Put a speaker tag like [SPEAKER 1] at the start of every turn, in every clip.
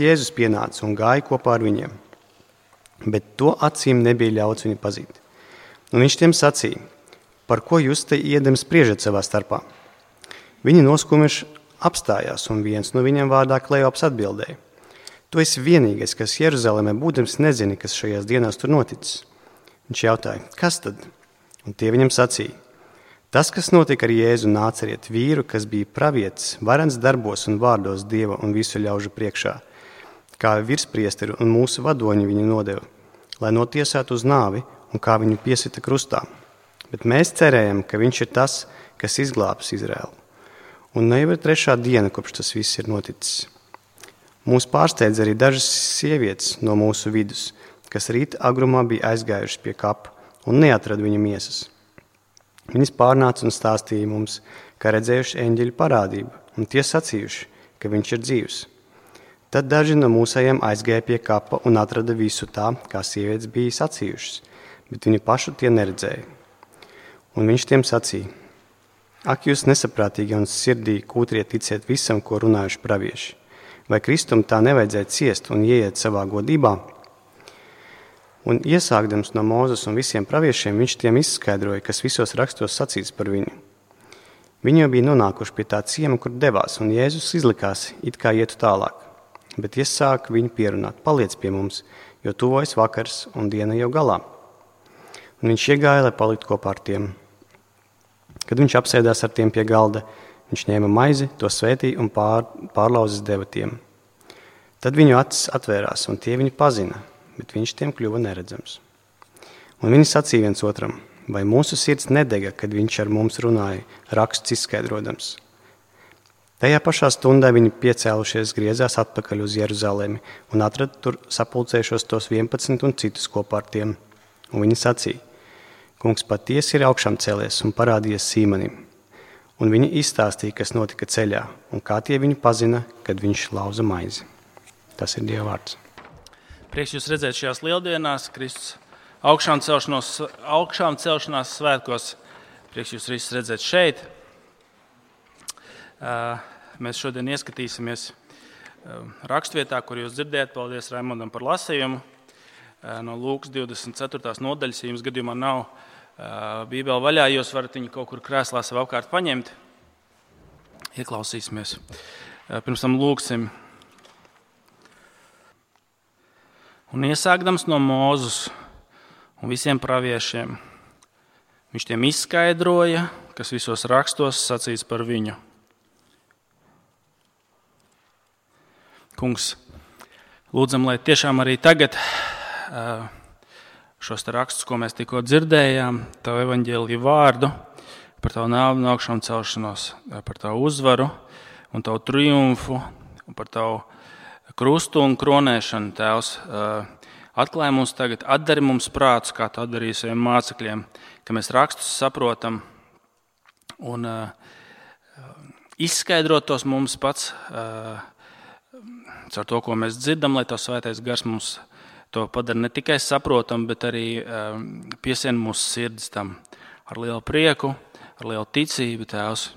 [SPEAKER 1] Jēzus pienāca un gāja kopā ar viņiem, bet to acīm nebija ļauts viņu pazīt. Un viņš tiem sacīja: par ko jūs te iedam spriežat savā starpā? Viņi noskumiši apstājās, un viens no viņiem vārdā Kleops atbildēja: tu esi vienīgais, kas Jeruzalemē būdams nezini, kas šajās dienās tur noticis. Viņš jautāja: kas tad? Un tie viņam sacīja: tas, kas notika ar Jēzu Nācerieti, vīru, kas bija pravietis, varens darbos un vārdos Dieva un visu ļaužu priekšā, kā virspriesteri un mūsu vadoņi viņu nodeva, lai notiesātu uz nāvi un kā viņu piesita krustā. Bet mēs cerējam, ka viņš ir tas, kas izglābs Izraēlu. Un ne jau ir 3. diena, kopš tas viss ir noticis. Mūs pārsteidz arī dažas sievietes no mūsu vidus, kas rīta agrumā bija aizgājušas pie kapa un neatrada viņa miesas. Viņas pārnāca un stāstīja mums, ka redzējuši eņģeļu parādību, un tie sacījuši, ka viņš ir dzīvs. Tad daži no mūsējiem aizgāja pie kapa un atrada visu tā, kā sievietes bija sacījušas, bet viņu pašu tie neredzēja. Un viņš tiem sacīja: ak, jūs nesaprātīgi un sirdī kūtrie ticiet visam, ko runājuši pravieši. Vai Kristum tā nevajadzēja ciest un ieiet savā godībā? Un iesākdams no Mūzes un visiem praviešiem, viņš tiem izskaidroja, kas visos rakstos sacīts par viņu. Viņi jau bija nonākuši pie tā ciema, kur devās, un Jēzus izlikās, it kā ietu tālāk. Bet iesāka viņu pierunāt: paliec pie mums, jo tuvojas vakars un diena jau galā. Un viņš iegāja, lai paliktu kopā ar tiem. Kad viņš apsēdās ar tiem pie galda, viņš ņēma maizi, to svētīja un pārlauzis deva tiem. Tad viņu acis atvērās, un tie viņu pazina, bet viņš tiem kļuva neredzams. Un viņi sacīja viens otram: vai mūsu sirds nedega, kad viņš ar mums runāja, rakstus izskaidrodams? Tajā pašā stundā viņi piecēlušies griezās atpakaļ uz Jeruzalemi un atrada tur sapulcējušos tos 11 un citus kopā ar tiem. Un viņi sacīja: kungs patiesi ir augšām cēlies un parādījies Sīmanim. Un viņi izstāstīja, kas notika ceļā, un kā tie viņu pazina, kad viņš lauza maizi. Tas ir Dieva vārds.
[SPEAKER 2] Prieks jūs redzēt šajās lieldienās, Kristus augšām celšanās svētkos. Prieks jūs visus redzēt šeit. Mēs šodien ieskatīsimies rakstvietā, kur jūs dzirdējat. Paldies Raimondam par lasījumu. No Lūkas 24. nodaļas, ja jums gadījumā nav Bībele vaļā, jūs varat viņu kaut kur krēslā sev apkārt paņemt. Ieklausīsimies. Pirms tam lūgsim. Un iesākdams no Mūzes un visiem praviešiem, viņš tiem izskaidroja, kas visos rakstos sacīts par viņu. Kungs, lūdzam, lai tiešām arī tagad šos rakstus, ko mēs tikko dzirdējām, tavu evaņģēliju vārdu, par tavu nāvi un augšām celšanos, par tavu uzvaru un tavu triumfu un par tavu krustu un kronēšanu, Tēvs, atklāj mums tagad, atdari mums prātus, kā tu atdarīji saviem mācekļiem, ka mēs rakstus saprotam un izskaidrot tos mums pats caur to, ko mēs dzirdam, lai tavs svētais gars mums to padara ne tikai saprotam, bet arī piesien mūsu sirdis tam ar lielu prieku, ar lielu ticību, Tēvs.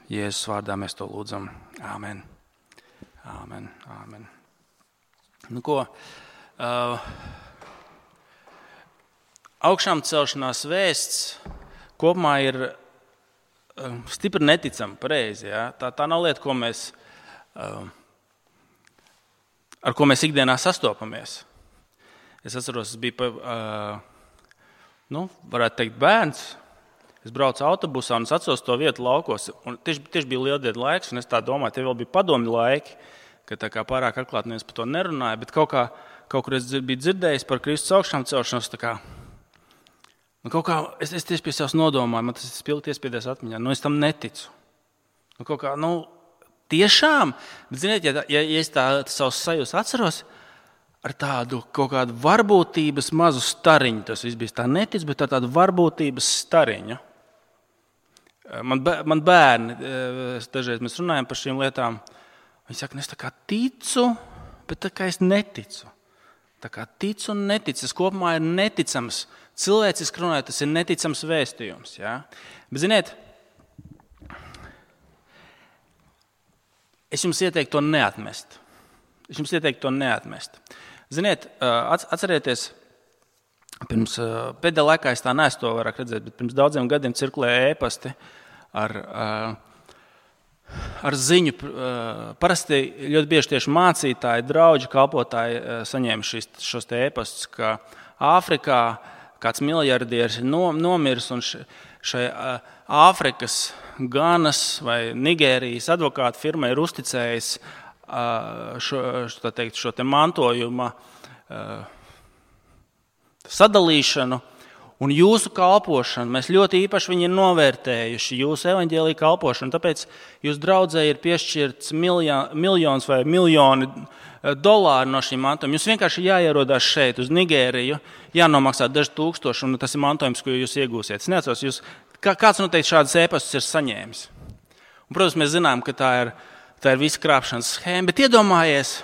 [SPEAKER 2] Jēzus vārdā mēs to lūdzam. Āmen. Āmen. Āmen. Nu ko, augšām celšanās vēsts kopumā ir stipri neticama, pareizi. Ja? Tā nav lieta, ar ko mēs ikdienā sastopamies. Es atceros, es biju, varētu teikt, bērns. Es braucu autobusā un es atceros to vietu laukos. Un tieši bija lieldienu laiks, un es tā domāju, tie vēl bija padomju laiki, ka tā kā pārāk atklāt neviens par to nerunāja, bet kaut kur es biju dzirdējis par Kristus augšām celšanos, es tieši pie sevis nodomāju, man tas ir spilgti iespiedies atmiņā, es tam neticu. Tiešām, bet ziniet, ja es tā savus sajūtas atceros, ar tādu kaut kādu varbūtības mazu stariņu, tas viss bija tā netic, bet tādu varbūtības stariņu. Man bērni, dažreiz mēs runājam par šīm lietām, viņi saka, es tā kā ticu, bet tā kā es neticu. Tā kā ticu un neticu, tas kopumā ir neticams. Cilvēciski runājot, tas ir neticams vēstījums. Ja? Bet ziniet, es jums ieteiktu to neatmest. Es jums ieteiktu to neatmest. Ziniet, atcerieties, pirms pēdējā laikā es tā neesmu to vairāk redzēt, bet pirms daudziem gadiem cirkulēja ēpasti ar ziņu. Parasti ļoti bieži tieši mācītāji, draugi, kalpotāji saņēma šos te ēpastus, ka Āfrikā kāds miljardieris ir nomiris un šai Āfrikas Ganas vai Nigērijas advokātu firma ir uzticējis šo te mantojuma sadalīšanu un jūsu kalpošanu. Mēs ļoti īpaši viņi ir novērtējuši jūsu evaņģēlija kalpošanu, tāpēc jūs draudzē ir piešķirts miljons vai miljoni dolāru no šīm mantojumiem. Jūs vienkārši jāierodās šeit uz Nigēriju, jānomaksā daži tūkstoši, un tas ir mantojums, ko jūs iegūsiet. Es neatceros, kāds noteikti šādas ēpastus ir saņēmis. Un, protams, mēs zinām, ka tā ir visa krāpšanas schēma, bet iedomājies,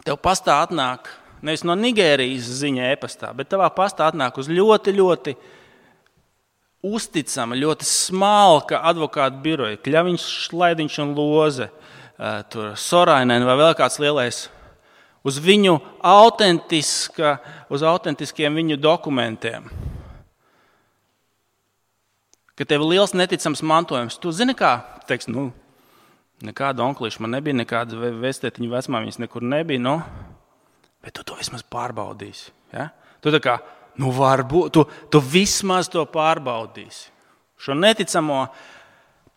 [SPEAKER 2] tev pastā atnāk nevis no Nigērijas ziņa ēpastā, bet tavā pastā atnāk uz ļoti, ļoti uzticama, ļoti smalka advokātu biroja, Kļaviņš, Šlaidiņš un Loze, tur Sorainen vai vēl kāds lielais, uz viņu uz autentiskiem viņu dokumentiem. Ka tev ir liels neticams mantojums. Tu zini kā? Teiks, nekāda onklīša man nebija, nekāda vestētiņa vecmāmiņas nekur nebija, bet tu to vismaz pārbaudīsi. Ja? Tu tā kā, varbūt, tu vismaz to pārbaudīsi. Šo neticamo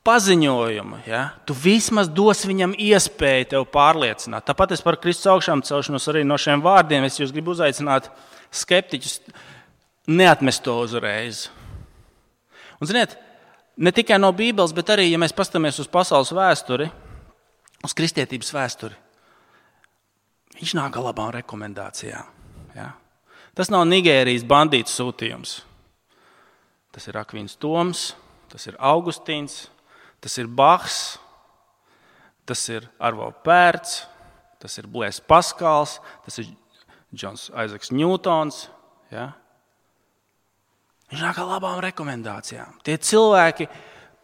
[SPEAKER 2] paziņojumu, ja? Tu vismaz dos viņam iespēju tev pārliecināt. Tāpat es par Kristus augšām celšanos arī no šiem vārdiem, es jūs gribu uzaicināt skeptiķus, neatmest to uzreiz. Un, ziniet, ne tikai no Bībeles, bet arī, ja mēs paskatāmies uz pasaules vēsturi, uz kristietības vēsturi, viņš nāk ar labām rekomendācijām. Ja? Tas nav Nigērijas bandītu sūtījums. Tas ir Akvīns Toms, tas ir Augustīns, tas ir Bachs, tas ir Arvo Pērts, tas ir Blēs Paskals, tas ir Džons Aizaks Ņūtons. Ja? Viņš nāk ar labām rekomendācijām. Tie cilvēki,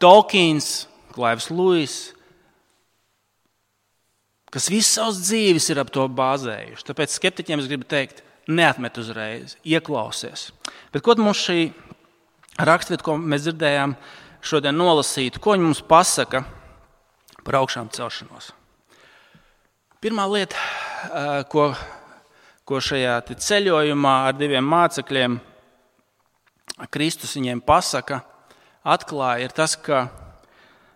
[SPEAKER 2] Tolkiens, Klaivs Luis, kas visu savas dzīves ir ap to bāzējuši. Tāpēc skeptiķiem es gribu teikt, neatmet uzreiz, ieklausies. Bet ko mums šī rakstvieta, ko mēs dzirdējām šodien nolasītu, ko viņi mums pasaka par augšām celšanos? Pirmā lieta, ko šajā ceļojumā ar diviem mācekļiem Kristus viņiem pasaka, atklāja, ir tas, ka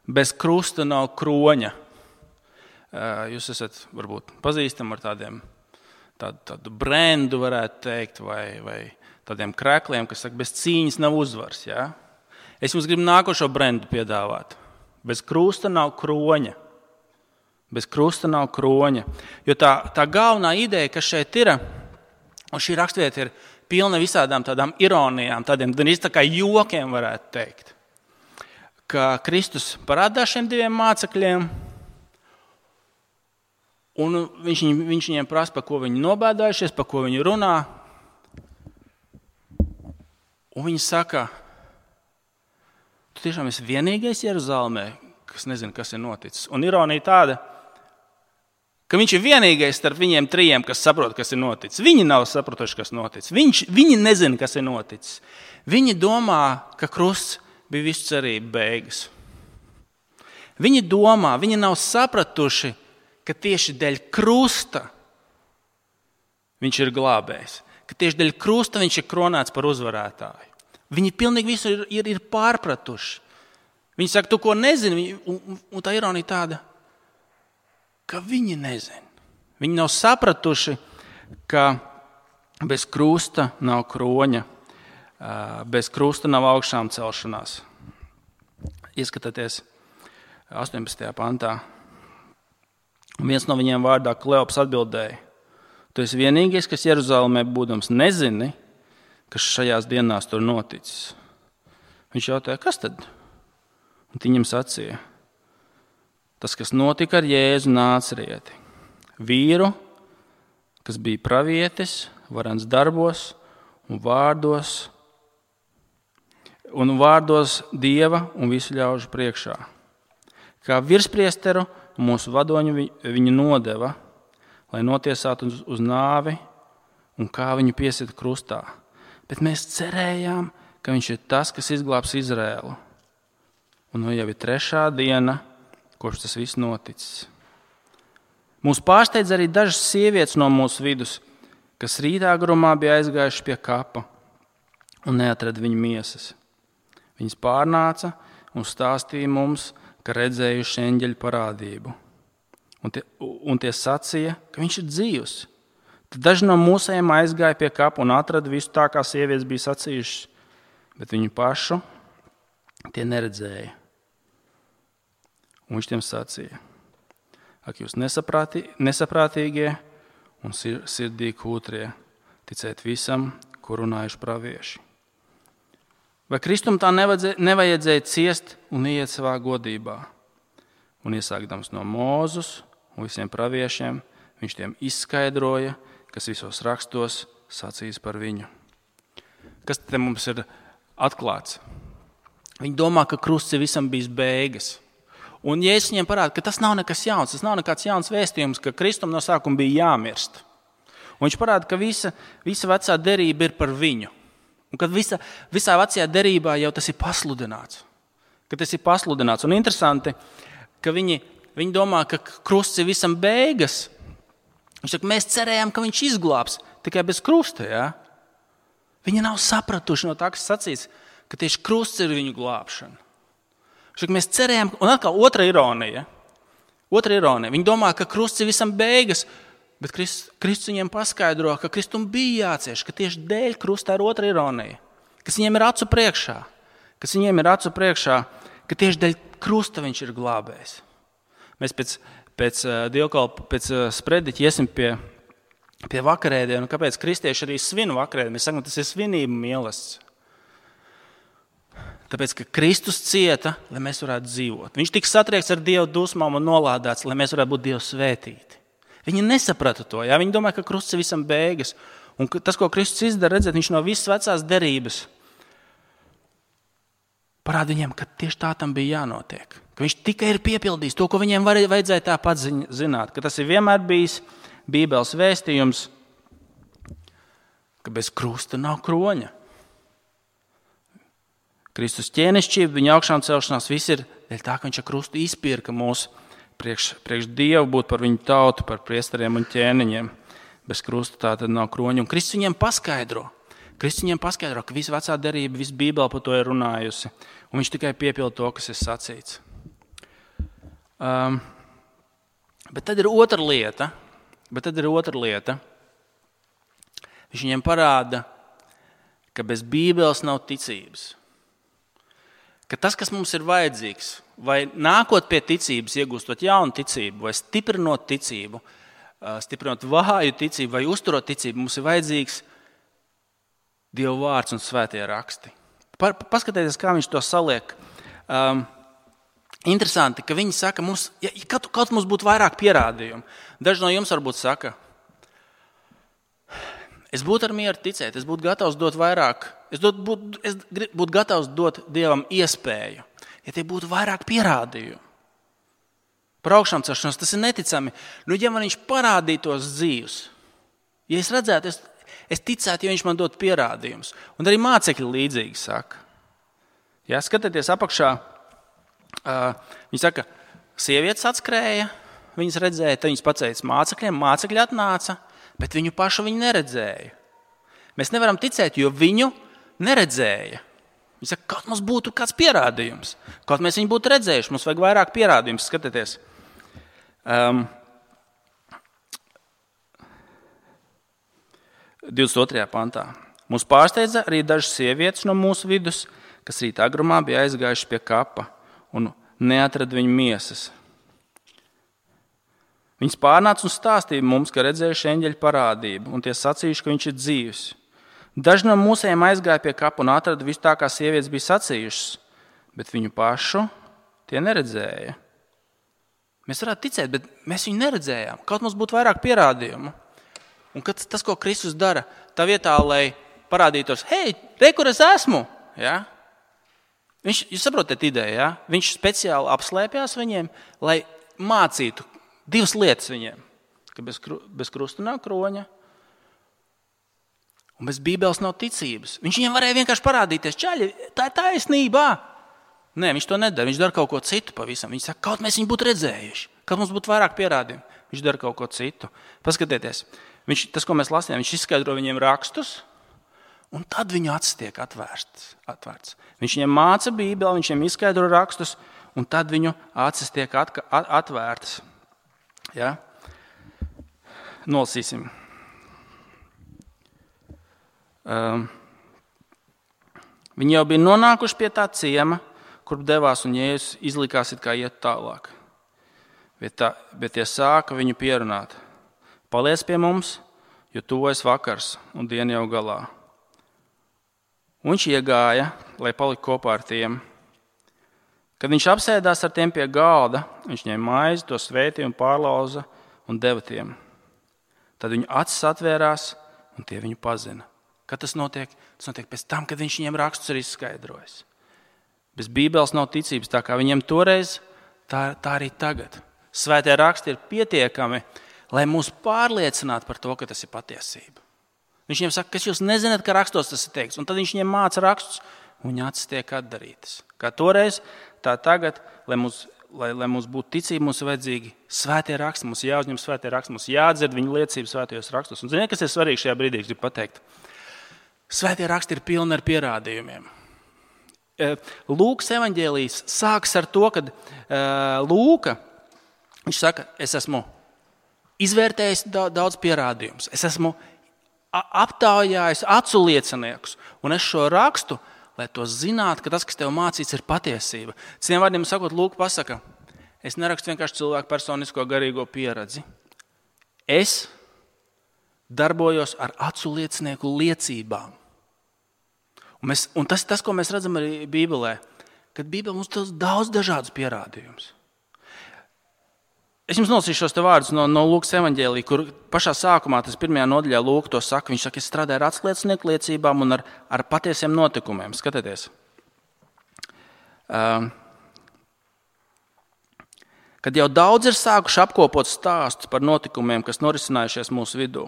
[SPEAKER 2] bez krusta nav kroņa. Jūs esat varbūt pazīstami ar tādu brendu, varētu teikt, vai tādiem krēkliem, kas saka, bez cīņas nav uzvars. Ja? Es jums gribu nākošo brendu piedāvāt. Bez krusta nav kroņa. Bez krusta nav kroņa. Jo tā galvenā ideja, kas šeit ir, un šī rakstvieta ir pilna visādām tādām ironijām, tādiem tā kā jokiem varētu teikt, ka Kristus parādās šiem diviem mācekļiem, un viņš viņiem prasa, par ko viņi nobēdājušies, par ko viņi runā, un viņi saka, tu tiešām esi vienīgais Jeruzalemē, kas nezina, kas ir noticis. Un ironija tāda, ka viņš ir vienīgais starp viņiem trijiem, kas saprot, kas ir noticis. Viņi nav sapratuši, kas noticis. Viņi nezina, kas ir noticis. Viņi domā, ka krusts bija visu cerību beigas. Viņi nav sapratuši, ka tieši dēļ krusta viņš ir glābējs. Ka tieši dēļ krusta viņš ir kronēts par uzvarētāju. Viņi pilnīgi visu ir pārpratuši. Viņi saka, tu ko nezini, un tā ironija tāda, ka viņi nezina. Viņi nav sapratuši, ka bez krusta nav kroņa, bez krusta nav augšām celšanās. Ieskatieties 18. pantā. Un viens no viņiem vārdā Kleops atbildēja, tu esi vienīgais, kas Jeruzalemē būdams nezini, kas šajās dienās tur noticis. Viņš jautāja, kas tad? Un viņam sacīja, tas, kas notika ar Jēzu Nācerieti, vīru, kas bija pravietis, varens darbos un vārdos Dieva un visu ļaužu priekšā. Kā virspriesteru un mūsu vadoņi viņu nodeva, lai notiesātu uz nāvi un kā viņu piesita krustā. Bet mēs cerējām, ka viņš ir tas, kas izglābs Izraēlu. Un jau ir 3. diena, kopš tas viss noticis. Mūs pārsteidz arī dažas sievietes no mūsu vidus, kas rītā agrumā bija aizgājuši pie kapa un neatrada viņa miesas. Viņas pārnāca un stāstīja mums, ka redzējuši eņģeļu parādību. Un tie sacīja, ka viņš ir dzīvs. Tad daži no mūsējiem aizgāja pie kapa un atrada visu tā, kā sievietes bija sacījušas, bet viņu pašu tie neredzēja. Un viņš tiem sacīja: ak, jūs nesaprātīgie un sirdī kūtrie, ticēt visam, ko runājuši pravieši. Vai Kristum tā nevajadzēja ciest un iet savā godībā? Un iesākdams no Mūzus un visiem praviešiem, viņš tiem izskaidroja, kas visos rakstos sacīs par viņu. Kas te mums ir atklāts? Viņi domā, ka krusts ir visam bijis beigas. Un Jēzus viņiem parāda, ka tas nav nekas jauns, tas nav nekāds jauns vēstījums, ka Kristum no sākuma bija jāmirst. Un viņš parāda, ka visa vecā derība ir par viņu. Un ka visā vecajā derībā jau tas ir pasludināts. Un interesanti, ka viņi domā, ka krusts ir visam beigas. Viņš saka, mēs cerējām, ka viņš izglābs tikai bez krusta. Ja? Viņi nav sapratuši no tā, kas sacīts, ka tieši krusts ir viņu glābšana. Mēs cerējām, un atkal otra ironija. Viņi domā, ka krusts ir visam beigas, bet Kristus viņiem paskaidro, ka Kristum bija jācieš, ka tieši dēļ krustā ir otra ironija, kas viņiem ir acu priekšā, ka tieši dēļ krusta viņš ir glābējs. Mēs pēc sprediķa iesim pie vakarēdienu, kāpēc kristieši arī svin vakarēdienu. Mēs sakam, tas ir svinību mīlestība. Tāpēc, ka Kristus cieta, lai mēs varētu dzīvot. Viņš tika satriekts ar Dieva dusmām un nolādēts, lai mēs varētu būt Dievu svētīti. Viņi nesaprata to. Ja? Viņi domāja, ka krusts ir visam beigas. Un tas, ko Kristus izdara, redzēt, viņš no visas vecās derības parāda viņiem, ka tieši tā tam bija jānotiek. Ka viņš tikai ir piepildījis to, ko viņiem vajadzēja tāpat zināt. Ka tas ir vienmēr bijis Bībeles vēstījums, ka bez krusta nav kroņa. Kristus ķēnišķība, viņa augšām celšanās, viss ir dēļ tā, ka viņš ar krustu izpirka mūs priekš Dievu, būt par viņu tautu, par priesteriem un ķēniņiem. Bez krusta tā tad nav kroņa. Un Kristus viņiem paskaidro, ka visa vecā derība, visa Bībele par to ir runājusi. Un viņš tikai piepilda to, kas ir sacīts. Bet tad ir otra lieta. Viņš viņiem parāda, ka bez Bībeles nav ticības. Ka tas, kas mums ir vajadzīgs, vai nākot pie ticības, iegūstot jaunu ticību, vai stiprinot ticību, stiprinot vāju ticību, vai uzturot ticību, mums ir vajadzīgs Dieva vārds un svētie raksti. Paskatieties, kā viņš to saliek. Interesanti, ka viņi saka, kaut mums būtu vairāk pierādījumu. Daži no jums varbūt saka, es būtu ar mieru ticēt, es būtu gatavs dot vairāk, es būtu gatavs dot Dievam iespēju, ja tie būtu vairāk pierādījumu. Par augšām celšanos tas ir neticami. Ja man viņš parādītos dzīvs, ja es redzētu, es ticētu, ja viņš man dot pierādījumus. Un arī mācekļi līdzīgi saka. Ja, skatieties apakšā, viņi saka, sievietes atskrēja, viņas redzēja, tad viņas pacēja mācekļiem, mācekļi atnāca, bet viņu pašu viņi neredzēja. Mēs nevaram ticēt, jo viņu neredzēja. Viņi saka, kaut mums būtu kāds pierādījums. Kaut mēs viņu būtu redzējuši, mums vajag vairāk pierādījums. Skatieties. 22. pantā. Mūs pārsteidza arī dažas sievietes no mūsu vidus, kas rīta agrumā bija aizgājuši pie kapa un neatrada viņu miesas. Viņas pārnāca un stāstīja mums, ka redzējuši eņģeļu parādību, un tie sacījuši, ka viņš ir dzīvs. Daži no mūsējiem aizgāja pie kapa un atrada visu tā, kā sievietes bija sacījušas, bet viņu pašu tie neredzēja. Mēs varētu ticēt, bet mēs viņu neredzējām. Kaut mums būtu vairāk pierādījumu. Un tas, ko Kristus dara, tā vietā, lai parādītos, hei, re, kur es esmu, ja? Jūs saprotat ideju, ja? Viņš speciāli apslēpjās viņiem, lai mācītu 2 lietas viņiem, ka bez krusta nav kroņa un bez Bībeles nav ticības. Viņš viņiem varēja vienkārši parādīties, čaļi, tā ir taisnība. Nē, viņš to nedara, viņš dara kaut ko citu pavisam. Viņš saka, kaut mēs viņu būtu redzējuši, kaut mums būtu vairāk pierādījumu. Viņš dara kaut ko citu. Paskatieties, tas, ko mēs lasījām, viņš izskaidro viņiem rakstus, un tad viņu acis tiek atvērts. Viņš viņiem māca Bībeli, viņš viņiem izskaidro rakstus, un tad viņu acis tiek atvērtas. Ja? Nolasīsim. Viņi jau bija nonākuši pie tā ciema, kur devās, un Jēzus izlikās, it kā iet tālāk. Bet tie sāka viņu pierunāt. Paliec pie mums, jo tuvojas vakars, un diena jau galā. Un viņš iegāja, lai paliktu kopā ar tiem. Kad viņš apsēdās ar tiem pie galda, viņš ņēma maizi, to svētīja un pārlauza un deva tiem. Tad viņu acis atvērās, un tie viņu pazina. Kad tas notiek? Tas notiek pēc tam, kad viņš viņiem rakstus ir izskaidrojis. Bez Bībeles nav ticības, tā kā viņiem toreiz, tā arī tagad. Svētie raksti ir pietiekami, lai mūs pārliecinātu par to, ka tas ir patiesība. Viņš viņiem saka, kas jūs nezināt, ka rakstos tas ir teikts, un tad viņš viņiem māca rakstus, un viņa acis tiek atdarītas. Kā toreiz, tā tagad, lai mums būtu ticība, mums ir vajadzīgi svētie raksti, mums jāuzņem svētie raksti, mums jādzird viņu liecības svētajos rakstos. Un ziniet, kas ir svarīgi šajā brīdī, gribu pateikt? Svētie raksti ir pilni ar pierādījumiem. Lūkas evaņģēlijs sākas ar to, kad Lūka, viņš saka, es esmu izvērtējis daudz pierādījumus, es esmu aptaujājis acu lieciniekus, un es šo rakstu, lai to zinātu, ka tas, kas tev mācīts, ir patiesība. Citiem vārdiem sakot, Lūka pasaka, es nerakstu vienkārši cilvēku personisko garīgo pieredzi. Es darbojos ar acu liecinieku liecībām. Un tas, ko mēs redzam arī Bībelē, kad Bībelē mums ir daudz dažādas pierādījumus. Es jums nolasīšu šos te vārdus no Lūkas evaņģēlija, kur pašā sākumā, tas 1. nodaļā Lūka to saka, viņš saka, es strādāju ar atsliecinieku liecībām un ar patiesiem notikumiem. Skatieties. Kad jau daudz ir sākuši apkopot stāstus par notikumiem, kas norisinājušies mūsu vidū,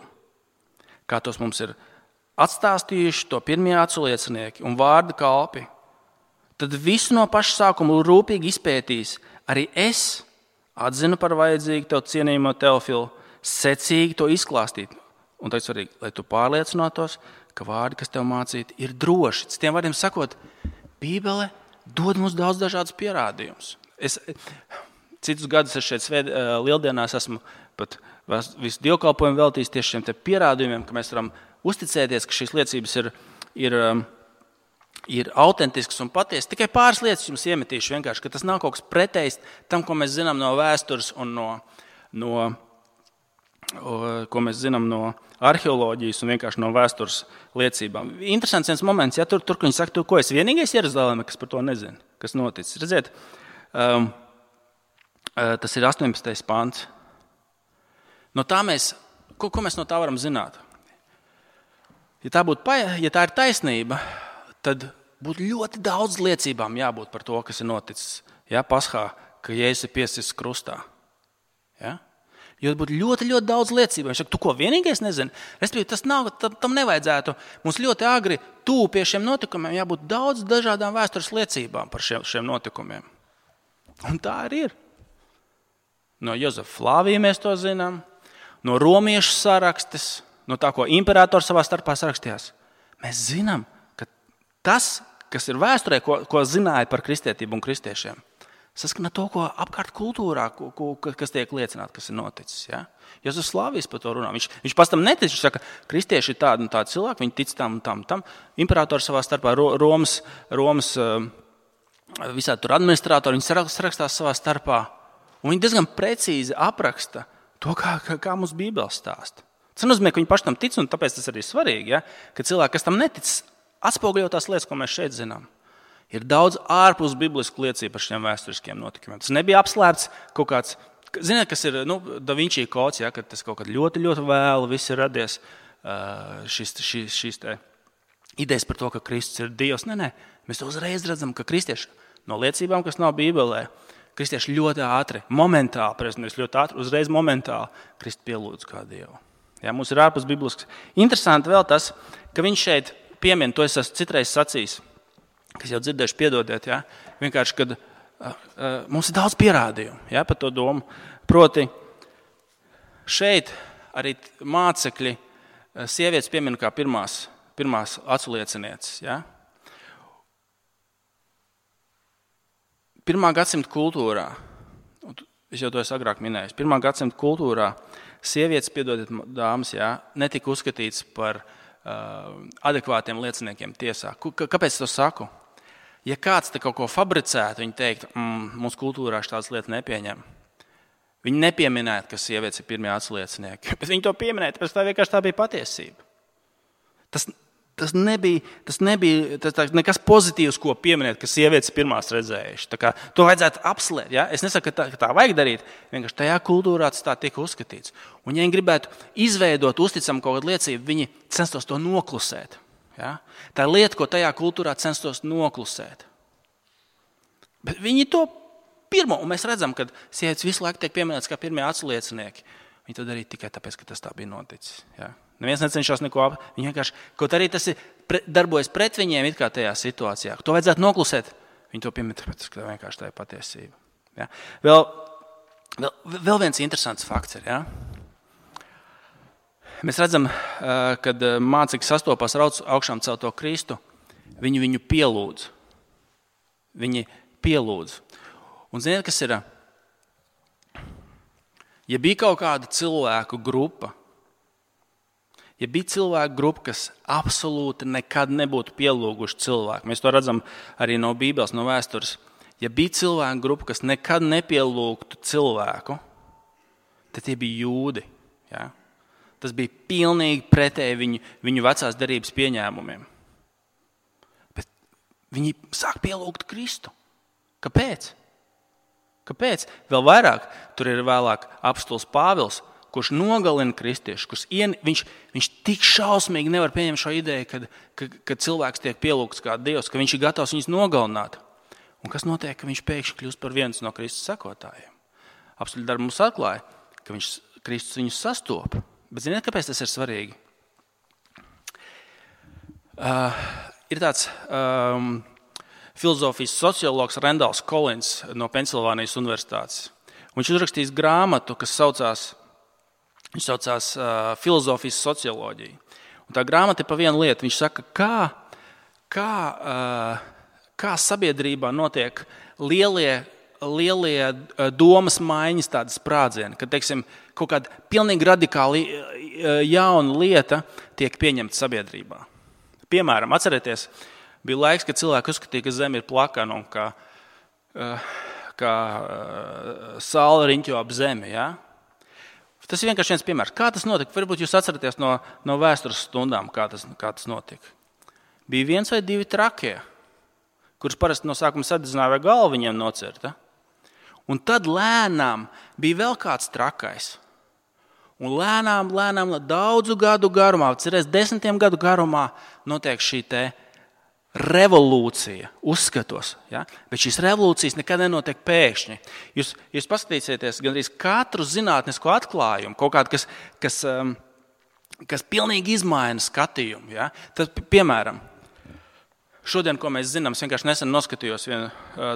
[SPEAKER 2] kā tos mums ir atstāstījuši to pirmie aculiecinieki un vārda kalpi, tad visu no paša sākuma rūpīgi izpētīs. Arī es atzinu par vajadzīgu tev cienījamo Teofilu, secīgi to izklāstīt. Un tā ir svarīgi, lai tu pārliecinātos, ka vārdi, kas tev mācīti, ir droši. Citiem vārdiem sakot, Bībele dod mums daudz dažādas pierādījumus. Citus gadus es šeit lieldienās esmu pat visu dievkalpojumu veltījis tieši šiem te pierādījumiem, ka mēs varam uzticēties, ka šīs liecības ir autentisks un patiesas. Tikai pāris lietas jums iemetīšu vienkārši, ka tas nav kaut kas pretējs tam, ko mēs zinām no vēstures un ko mēs zinām no arheoloģijas un vienkārši no vēstures liecībām. Interesants viens moments, ja tur viņi saka, ko es vienīgais Jeruzaleme, kas par to nezinu, kas noticis. Redziet, tas ir 18. pants. No tā ko mēs no tā varam zināt? Ja tā ir taisnība, tad būtu ļoti daudz liecībām jābūt par to, kas ir noticis. Ja, Paskā, ka Jēzus ir piesists krustā. Ja? Jo būtu ļoti, ļoti daudz liecību. Viņš saka, tu ko vienīgais nezini? Respektīvi, tam nevajadzētu. Mums ļoti agri tuvu pie šiem notikumiem jābūt daudz dažādām vēstures liecībām par šiem notikumiem. Un tā arī ir. No Jozefa Flāvija mēs to zinām, no romiešu sarakstes, no tā, ko imperators savā starpā sarakstījās. Mēs zinām, ka tas, kas ir vēsturē, ko zināja par kristietību un kristiešiem, saskana to, ko apkārt kultūrā, kas tiek liecināt, kas ir noticis. Ja? Jēzus Flāvijs par to runā. Viņš pats tam netic. Viņš saka, kristieši ir tādi un tādi cilvēki, viņi tic tam un tam. Imperators savā starpā, Romas visādi tur administratori, viņi sarakstās savā starpā. Un viņi diezgan precīzi apraksta to, kā mums Bībele stāsta. Tas nozīmē, ka viņi paši tam tic, un tāpēc tas arī svarīgi, ja? Ka cilvēki, kas tam netic, atspoguļo tās lietas, ko mēs šeit zinām. Ir daudz ārpus biblisku liecību par šiem vēsturiskiem notikumiem. Tas nebija apslēpts kaut kāds, ziniet, kas ir Da Vinci kods, ja? Kad tas kaut kad ļoti, ļoti vēlu viss ir radies šīs te idejas par to, ka Kristus ir Dievs. Nē, mēs to uzreiz redzam, ka kristieši no liecībām, kas nav Bībelē, kristieši ļoti ātri, momentāli, uzreiz momentāli Kristu pielūdz kā Dievu. Ja, mums ir ārpus biblisks. Interesanti vēl tas, ka viņš šeit piemin, to es esmu citreiz sacījis, kas jau dzirdējuši, piedodiet, ja, vienkārši, kad mums ir daudz pierādījumu, ja, par to domu. Proti, šeit arī mācekļi sievietes piemin kā pirmās aculiecinieces. Ja. 1. gadsimta kultūrā, es jau to esmu agrāk minējis, 1. gadsimta kultūrā sievietes, piedodiet dāmas, ja, netika uzskatīts par adekvātiem lieciniekiem tiesā. Kāpēc to saku? Ja kāds te kaut ko fabricētu, viņi teiktu, mūsu kultūrā tādas lietas nepieņem. Viņi nepieminētu, ka sievietes ir pirmie aculiecinieki, bet viņi to pieminēja, tāpēc tā vienkārši tā bija patiesība. Tas nebija nekas pozitīvs, ko pieminēt, ka sievietes pirmās redzējuši. Tā kā to vajadzētu apslēpt. Ja? Es nesaku, ka tā vajag darīt, vienkārši tajā kultūrā tas tā tika uzskatīts. Un ja viņi gribētu izveidot uzticamu kaut kādu liecību, viņi censtos to noklusēt. Ja? Tā ir lieta, ko tajā kultūrā censtos noklusēt. Bet viņi to pirmo, un mēs redzam, ka sievietes visu laiku tiek pieminētas kā pirmie aculiecinieki. Viņi to darīja tikai tāpēc, ka tas tā bija noticis. Ja? Neviens necenšas neko viņi vienkārši, kaut arī tas darbojas pret viņiem it kā tajā situācijā. To vajadzētu noklusēt. Viņi to piemin, tāpēc, ka vienkārši tā ir patiesība. Ja? Vēl viens interesants fakts ir. Ja? Mēs redzam, kad mācekļi sastopās ar augšām celto Kristu, viņi viņu pielūdz. Viņi pielūdz. Un ziniet, kas ir? Ja bija kaut kāda cilvēku grupa, kas absolūti nekad nebūtu pielūguši cilvēku, mēs to redzam arī no Bībeles, no vēstures, ja bija cilvēku grupa, kas nekad nepielūgtu cilvēku, tad tie bija jūdi. Ja? Tas bija pilnīgi pretēji viņu vecās derības pieņēmumiem. Bet viņi sāk pielūgt Kristu. Kāpēc? Vēl vairāk, tur ir vēlāk apostols Pāvils, kurš nogalina kristiešu, viņš tik šausmīgi nevar pieņemt šo ideju, kad cilvēks tiek pielūgts kā Dievs, ka viņš ir gatavs viņus nogalināt. Un kas notiek, ka viņš pēkšņi kļūst par viens no Kristus sekotājiem? Apstuļu darbu mums atklāja, ka Kristus viņus sastopa. Bet ziniet, kāpēc tas ir svarīgi? Ir tāds filozofijas sociologs Rendals Kolins no Pensilvānijas universitātes. Viņš uzrakstījis grāmatu, kas saucās filozofijas socioloģija. Un tā grāmata ir pa vienu lietu. Viņš saka, kā sabiedrībā notiek lielie domas maiņas, tādas sprādzieni, kad, teiksim, kaut kāda pilnīgi radikāli jauna lieta tiek pieņemta sabiedrībā. Piemēram, atcerieties, bija laiks, kad cilvēki uzskatīja, ka Zeme ir plakana un kā saule riņķo ap Zemi. Ja? Tas ir vienkārši viens piemērs. Kā tas notika? Varbūt jūs atceraties no vēstures stundām, kā tas notika. Bija viens vai divi trakie, kurus parasti no sākuma sadedzināja vai galva viņiem nocirta. Un tad lēnām bija vēl kāds trakais. Un lēnām, daudzu gadu garumā, cerēs 10 gadu garumā, notiek šī te revolūcija uzskatos. Ja? Bet šīs revolūcijas nekad nenotiek pēkšņi. Jūs paskatīsieties gandrīz katru zinātnisko atklājumu, kaut kādu, kas pilnīgi izmaina skatījumu. Ja? Tad, piemēram, šodien, ko mēs zinām, es vienkārši nesen noskatījos vienu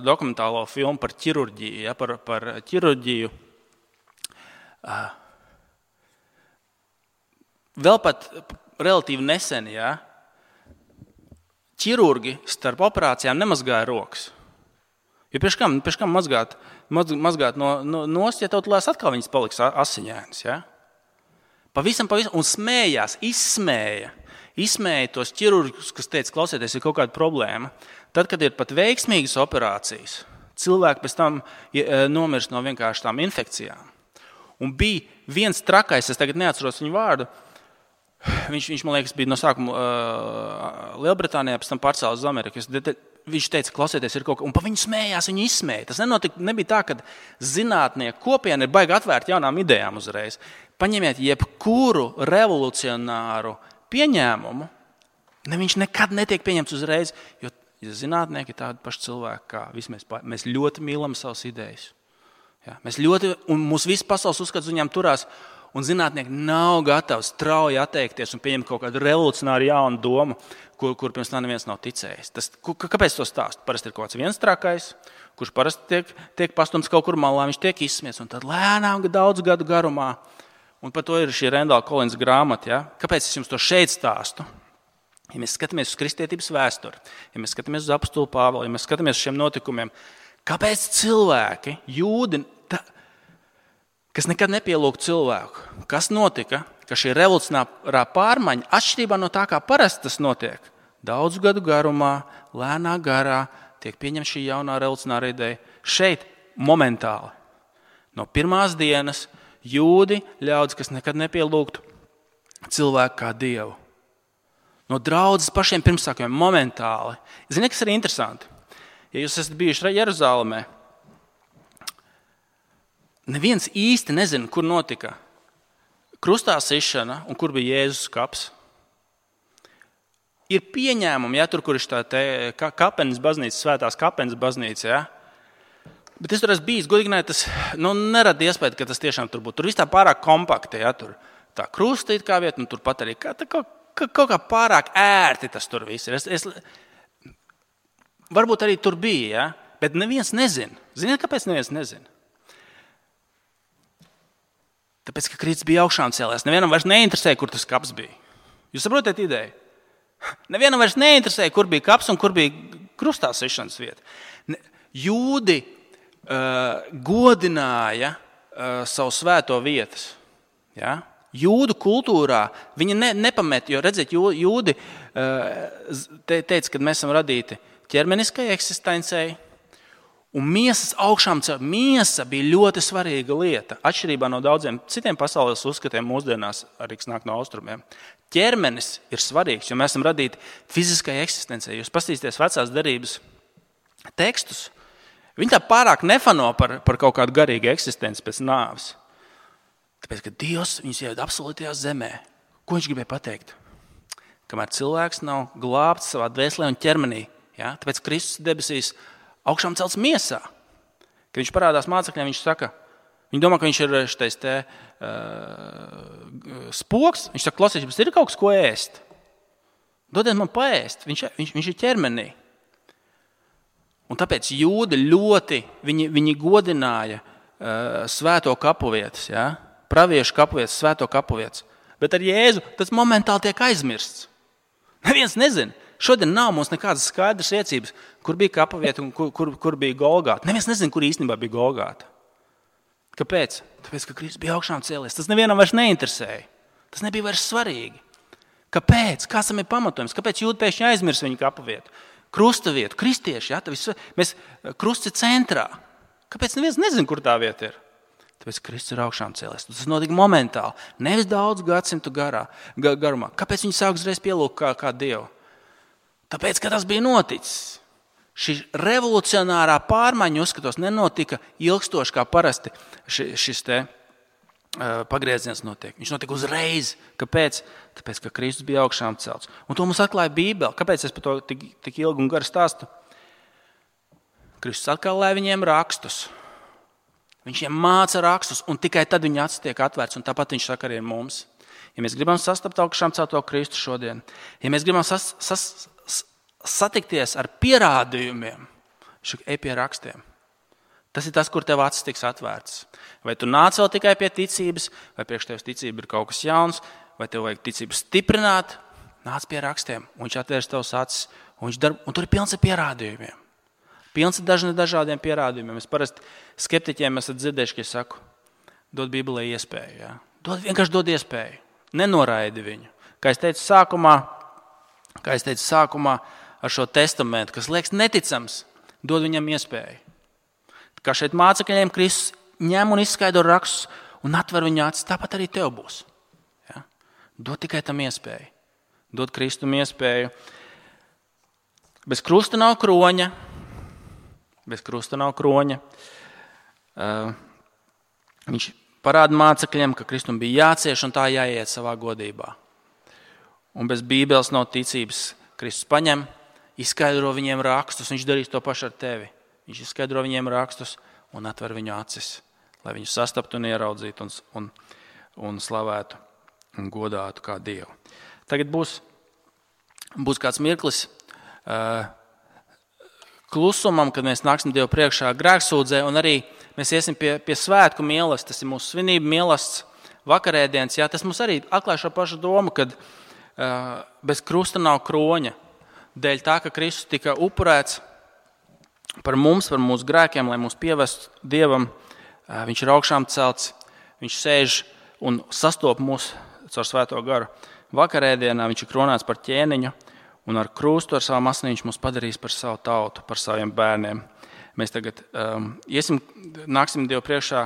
[SPEAKER 2] dokumentālo filmu par ķirurģiju. Ja? Par ķirurģiju. Vēl pat relatīvi nesen, ja? Ķirurgi starp operācijām nemazgāja rokas. Jo pēc kam mazgāt nost, ja tev tulēs atkal viņas paliks asiņainas. Ja? Pavisam, un smējās, izsmēja tos ķirurgus, kas teica, klausieties, ir kaut kāda problēma. Tad, kad ir pat veiksmīgas operācijas, cilvēki pēc tam nomirst no vienkārši tām infekcijām. Un bija viens trakais, es tagad neatceros viņu vārdu, viņš man liekas, bija no sākuma Lielbritānijā, pēc tam pārcēlās uz Ameriku. Viņš teica, klausieties, ir kaut kas, un pa viņu smējās, viņu izsmēja. Tas nebija tā, ka zinātnieku kopiena ir baigi atvērta jaunām idejām uzreiz. Paņemiet jebkuru revolucionāru pieņēmumu, viņš nekad netiek pieņemts uzreiz, jo Ja zinātnieki ir tādi paši cilvēki kā visi mēs ļoti mīlam savas idejas. Ja? Mēs ļoti, un mūsu visas pasaules uzskats viņām turās, un zinātnieki nav gatavi strauji atteikties un pieņemt kaut kādu revolucionāru jaunu domu, kur pirms tam neviens nav ticējis. Kāpēc to stāst? Parasti ir kaut kāds viens trakais, kurš parasti tiek pastumts kaut kur malā, viņš tiek izsmiets, un tad lēnām daudz gadu garumā, un par to ir šī Rendāla Kolins grāmata. Ja? Kāpēc es jums to šeit stāstu? Ja mēs skatāmies uz kristietības vēsturi, ja mēs skatāmies uz apostulu Pāvilu, ja mēs skatāmies uz šiem notikumiem, kāpēc cilvēki, jūdi, kas nekad nepielūgtu cilvēku, kas notika, ka šī revolucionārā pārmaiņa, atšķirībā no tā, kā parasti tas notiek, daudzu gadu garumā, lēnā garā, tiek pieņemta šī jaunā revolucionāra ideja. Šeit momentāli, no pirmās dienas, jūdi, ļaudis, kas nekad nepielūgtu cilvēku kā Dievu. No draudzes pašiem pirmsākumiem momentāli. Ziniet, kas ir interesanti? Ja jūs esat bijuši Jeruzalemē, neviens īsti nezina, kur notika krustā sišana un kur bija Jēzus kaps. Ir pieņēmumi, ja, tur, kur ir tā kapenes baznīca, svētās kapenes baznīca, ja. Bet es tur esmu bijis, godīgi, tas nerada iespēju, ka tas tiešām tur būtu. Tur viss tā pārāk kompakti, ja, tur tā krusta it kā vieta, un tur pat arī kaut kā pārāk ērti tas tur viss ir. Varbūt arī tur bija, ja, bet neviens nezina. Ziniet, kāpēc neviens nezina? Tāpēc, ka Kristus bija augšām cēlies. Nevienam vairs neinteresēja, kur tas kaps bija. Jūs saprotat ideju? Nevienam vairs neinteresēja, kur bija kaps un kur bija krustā sišanas vieta. Jūdi godināja savu svēto vietas. Ja? Jūdu kultūrā viņi nepamet, jo redziet, jūdi teica, ka mēs esam radīti ķermeniskai eksistencei, un miesas augšām cēlē. Miesa bija ļoti svarīga lieta, atšķirībā no daudziem citiem pasaules uzskatiem mūsdienās, arī kas nāk no austrumiem. Ķermenis ir svarīgs, jo mēs esam radīti fiziskai eksistencei. Jūs paskatīsieties vecās derības tekstus, viņi tā pārāk nefano par kaut kādu garīgu eksistenci pēc nāves. Tāpēc, ka Dievs viņus ieved absolūtajā zemē. Ko viņš gribēja pateikt? Kamēr cilvēks nav glābts savā dvēselē un ķermenī, ja? Tāpēc Kristus debesīs augšām celts miesā. Kad viņš parādās mācekļiem, viņš saka, viņi domā, ka viņš ir šitais spoks. Viņš saka, klausies, jums ir kaut kas, ko ēst? Dodiet man paēst. Viņš ir ķermenī. Un tāpēc jūdi ļoti, viņi godināja svēto kapuvietas, ja? Praviešu kapuvietas, svēto kapuvietas. Bet ar Jēzu tas momentāli tiek aizmirsts. Neviens nezina. Šodien nav mums nekādas skaidras iecības, kur bija kapavieta un kur bija Golgāta. Neviens nezina, kur īstenībā bija Golgāta. Kāpēc? Tāpēc, ka Kristus bija augšām cēlies. Tas nevienam vairs neinteresēja. Tas nebija vairs svarīgi. Kāpēc? Kāds tam ir pamatojums? Kāpēc jūdi pēkšņi aizmirs viņu kapavietu? Krusta vietu, kristieši, ja? Mēs krusts ir centrā. Kāpēc neviens nezina, kur tā vieta ir? Tāpēc Kristus ir augšām cēlies. Tas notika momentāli, nevis daudz gadsimtu garumā. Kāpēc viņi sāk uzreiz pielūgt kā Dievu? Tāpēc, ka tas bija noticis. Šī revolucionārā pārmaiņa, uzskatos, nenotika ilgstoši kā parasti šis pagrieziens notiek. Viņš notika uzreiz. Kāpēc? Tāpēc, ka Kristus bija augšām celts. Un to mums atklāja Bībele. Kāpēc es par to tik ilgi un gari stāstu? Kristus atklāja viņiem rakstus. Viņš viņiem māca rakstus, un tikai tad viņa acis tiek atvērts, un tāpat viņš saka arī mums. Ja mēs gribam sastapt augšām celto Kristu šodien, ja mēs gribam satikties ar pierādījumiem, ej pie rakstiem. Tas ir tas, kur tev acis tiks atvērts. Vai tu nāc vēl tikai pie ticības, vai priekš tevis ticība ir kaut kas jauns, vai tev vajag ticību stiprināt, nāc pie rakstiem, un viņš atvērs tavs acis, un tur ir pilns ar pierādījumiem. Pilns ar dažādiem pierādījumiem. Es parasti skeptiķiem esat dzirdējuši, ka es saku, dod Bībelē iespēju. Ja? Vienkārši dod iespēju. Nenoraidi viņu. Kā es teicu sākumā ar šo testamentu, kas liekas neticams, dod viņam iespēju. Kā šeit mācekļiem Kristus ņem un izskaidro rakstus un atver viņu acis, tāpat arī tev būs. Ja? Dod tikai tam iespēju. Dod Kristum iespēju. Bez krusta nav kroņa. Viņš parāda mācekļiem, ka Kristum bija jācieš un tā jāiet savā godībā. Un bez Bībeles nav ticības. Kristus paņem izskaidro viņiem rakstus, viņš darīs to pašu ar tevi. Viņš izskaidro viņiem rakstus un atver viņu acis, lai viņu sastaptu un ieraudzītu un slavētu un godātu kā Dievu. Tagad būs kāds mirklis klusumam, kad mēs nāksim Dievu priekšā grēksūdzē, un arī mēs iesim pie svētku mīlestība. Tas ir mūsu svinība mīlestība, vakarēdienas. Jā, tas mums arī atklāja šo pašu domu, kad bez krusta nav kroņa. Dēļ tā, ka Kristus tika upurēts par mums, par mūsu grēkiem, lai mūs pievestu Dievam, viņš ir augšām celts, viņš sēž un sastop mūs caur svēto garu. Vakarēdienā viņš ir kronēts par ķēniņu, un ar krustu, ar savu asni viņš mūs padarīs par savu tautu, par saviem bērniem. Mēs tagad nāksim Dievu priekšā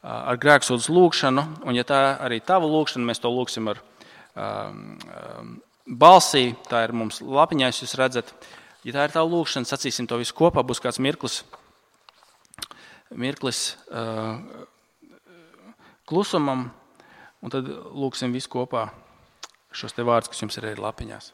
[SPEAKER 2] ar grēksūdzes lūgšanu, un ja tā arī tava lūgšana, mēs to lūgsim ar balsī, tā ir mums lapiņās, jūs redzat. Ja tā ir tava lūgšana, sacīsim to visu kopā, būs kāds mirklis klusumam, un tad lūgsim visu kopā šos te vārdus, kas jums ir arī lapiņās.